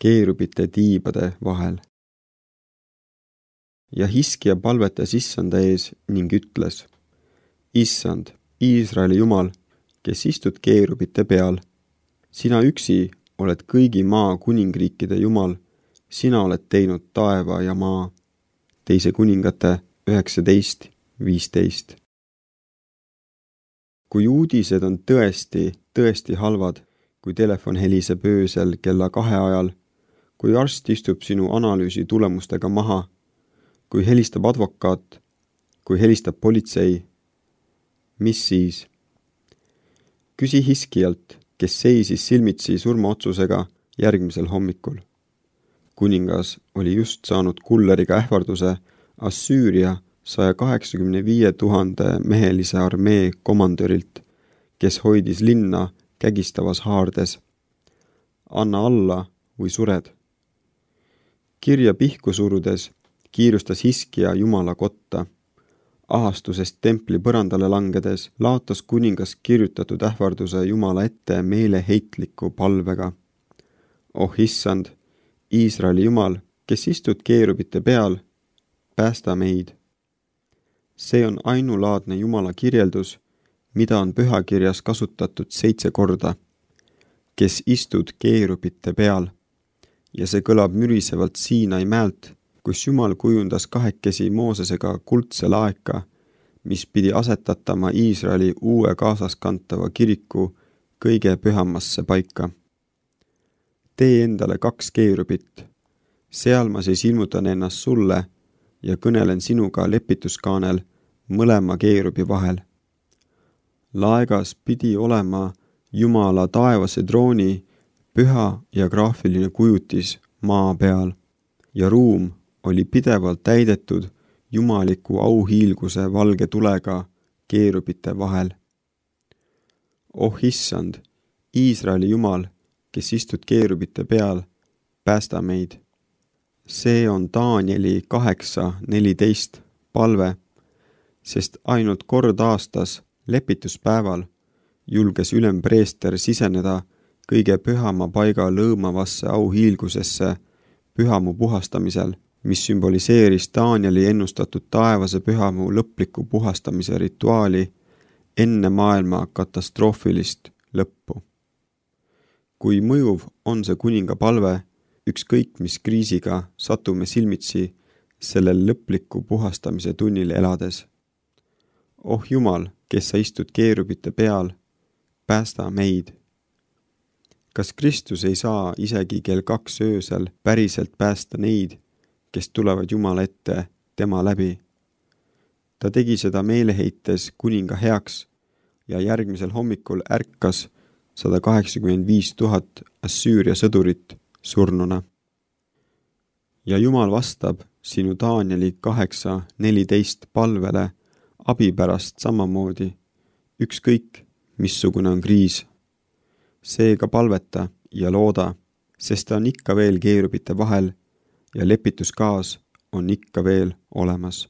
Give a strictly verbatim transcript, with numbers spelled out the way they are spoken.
keerubite tiibade vahel. Ja Hiskija palvetas Issanda ees ning ütles: Issand, Iisraeli Jumal, kes istud keerubite peal, sina üksi oled kõigi maa kuningriikide Jumal, sina oled teinud taeva ja maa. Teise kuningate üheksateist viisteist. Kui uudised on tõesti, tõesti halvad, kui telefon heliseb öösel kella kahe ajal, kui arst istub sinu analüüsi tulemustega maha, kui helistab advokaat, kui helistab politsei, mis siis? Küsi Hiskijalt, kes seisis silmitsi surmaotsusega järgmisel hommikul. Kuningas oli just saanud kulleriga ähvarduse Assüüria saja kaheksakümne viie tuhande mehelise armee komandörilt, kes hoidis linna kägistavas haardes. Anna alla või sured. Kirja pihku surudes kiirustas Hiskija Jumala kotta. Ahastusest templi põrandale langedes laotas kuningas kirjutatud ähvarduse Jumala ette meeleheitliku palvega. Oh issand, Iisraeli Jumal, kes istud keerubite peal, päästa meid. See on ainulaadne Jumala kirjeldus, mida on pühakirjas kasutatud seitse korda, kes istud keerubite peal, ja see kõlab mürisevalt Siinai mäelt, kus Jumal kujundas kahekesi Moosesega kuldse laeka, mis pidi asetatama Iisraeli uue kaasaskantava kiriku kõige pühamasse paika. Tee endale kaks keerubit, seal ma siis ilmutan ennast sulle ja kõnelen sinuga lepituskaanel mõlema keerubi vahel. Laegas pidi olema Jumala taevase drooni püha ja graafiline kujutis maa peal ja ruum oli pidevalt täidetud jumaliku auhiilguse valge tulega keerubite vahel. Oh issand, Iisraeli Jumal, kes istud keerubite peal, päästa meid. See on Danieli kaheksa neliteist palve, sest ainult kord aastas lepituspäeval julges ülempreester siseneda kõige pühama paiga lõõmavasse auhiilgusesse pühamu puhastamisel, mis sümboliseeris Danieli ennustatud taevase pühamu lõpliku puhastamise rituaali enne maailma katastroofilist lõppu. Kui mõjuv on see kuninga palve, ükskõik mis kriisiga satume silmitsi sellel lõpliku puhastamise tunnil elades. Oh Jumal, kes sa istud keerubite peal, päästa meid. Kas Kristus ei saa isegi kell kaks öösel päriselt päästa neid, kes tulevad Jumala ette tema läbi? Ta tegi seda meeleheites kuninga heaks ja järgmisel hommikul ärkas sada kaheksakümmend viis tuhat Assüüria sõdurit surnuna. Ja Jumal vastab sinu Danieli kaheksa neliteist palvele abi pärast samamoodi, ükskõik missugune on kriis. Seega palveta ja looda, sest ta on ikka veel keerubite vahel ja lepituskaas on ikka veel olemas.